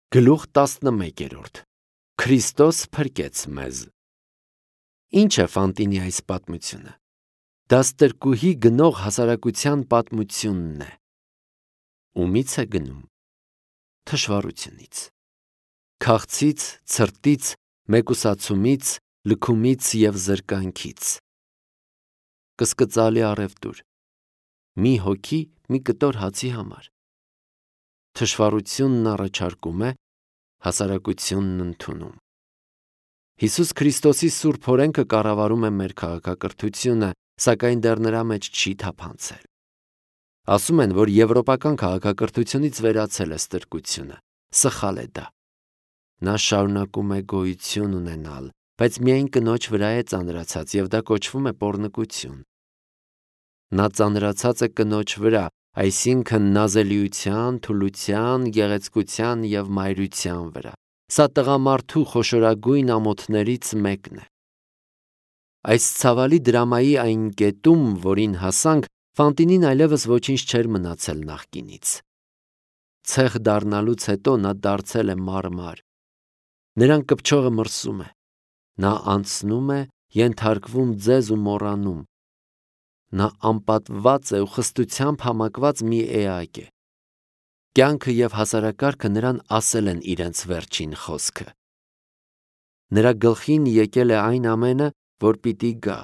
Գլուխ 11 Քրիստոս փրկեց մեզ։ Ինչ է Ֆանտինի այս պատմությունը։ Դաստերկուհի գնող հասարակության պատմությունն է։ Ումից է գնում։ Թշվառությունից, քաղցից, ցրտից, մեկուսացումից, լքումից և զրկանքից։ Կսկծալի առևտուր։ Մի հոգի մի կտոր հացի համար։ Թշվառությունն առաջարկում է, հասարակությունն ընդունում։ Հիսուս Քրիստոսի սուրբ օրենքը կառավարում է մեր քաղաքակրթությունը, սակայն դեռ նրա մեջ չի թափանցել։ Ասում են, որ եվրոպական քաղաքակրթությունից վերացել է ստրկությունը։ Սխալ է դա։ Նա շարունակում է գոյություն ունենալ, բայց միայն կնոջ վրա է ծանրացած և դա կոչվում է պոռնկություն։ Նա ծանրացած է կնոջ վրա, այսինքն նազելիության, թուլության, գեղեցկության և մայրության վրա։ Սա տղամարդու խոշորագույն ամոթներից մեկն է։ Այս ցավալի դրամայի այն կետում, որին հասանք, Ֆանտինին այլևս ոչինչ չէր մնացել նախկինից։ Ցեխ դառնալուց հետո նա դարձել է մարմար։ Նրան կպչողը մրսում է։ Նա անցնում է, ենթարկվում ձեզ ու մոռանում։ Նա անպատված է ու խստությամբ համակված մի էակ է։ Կյանքը և հասարակարգը նրան ասել են իրենց վերջին խոսքը։ Նրա գլխին եկել է այն ամենը, որ պիտի գա։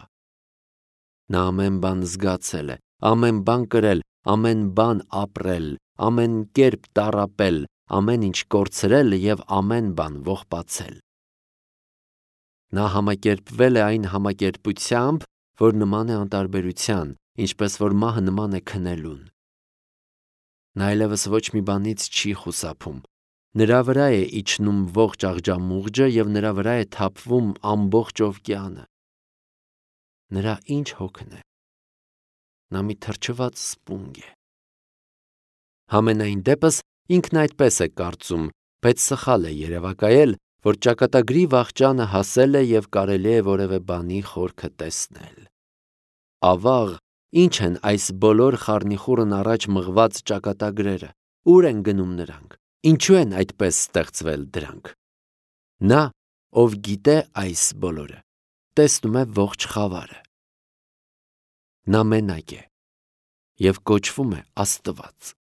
Նա ամեն բան զգացել է, ամեն բան կրել, ամեն բան ապրել, ամեն կերպ տառապել, ամեն ինչ կորցրել և ամեն բան ողբացել։ Նա համակերպվել է այն համակերպությամբ, որ նման է անտարբերության, ինչպես որ մահը նման է քնելուն։ Նա այլևս ոչ մի բանից չի խուսափում։ Նրա վրա է իջնում ողջ աղջամուղջը և նրա վրա է թափվում ամբողջ օվկիանը։ Նրա ինչ հոգն է։ Նա մի թրջված սպունգ է։ Համենայն դեպս ինքն այդպես է կարծում, բայց սխալ է երևակայել, որ ճակատագրի վախճանը հասել է և կարելի է որևէ բանի խորքը տեսնել։ Ավաղ, ինչ են այս բոլոր խառնիխուռն առաջ մղված ճակատագրերը, ուր են գնում նրանք, ինչու են այդպես ստեղծվել դրանք։ Նա, ով գիտե այս բոլորը, տեսնում է ողջ խավարը։ Նա մենակ է և կոչվում է Աստված։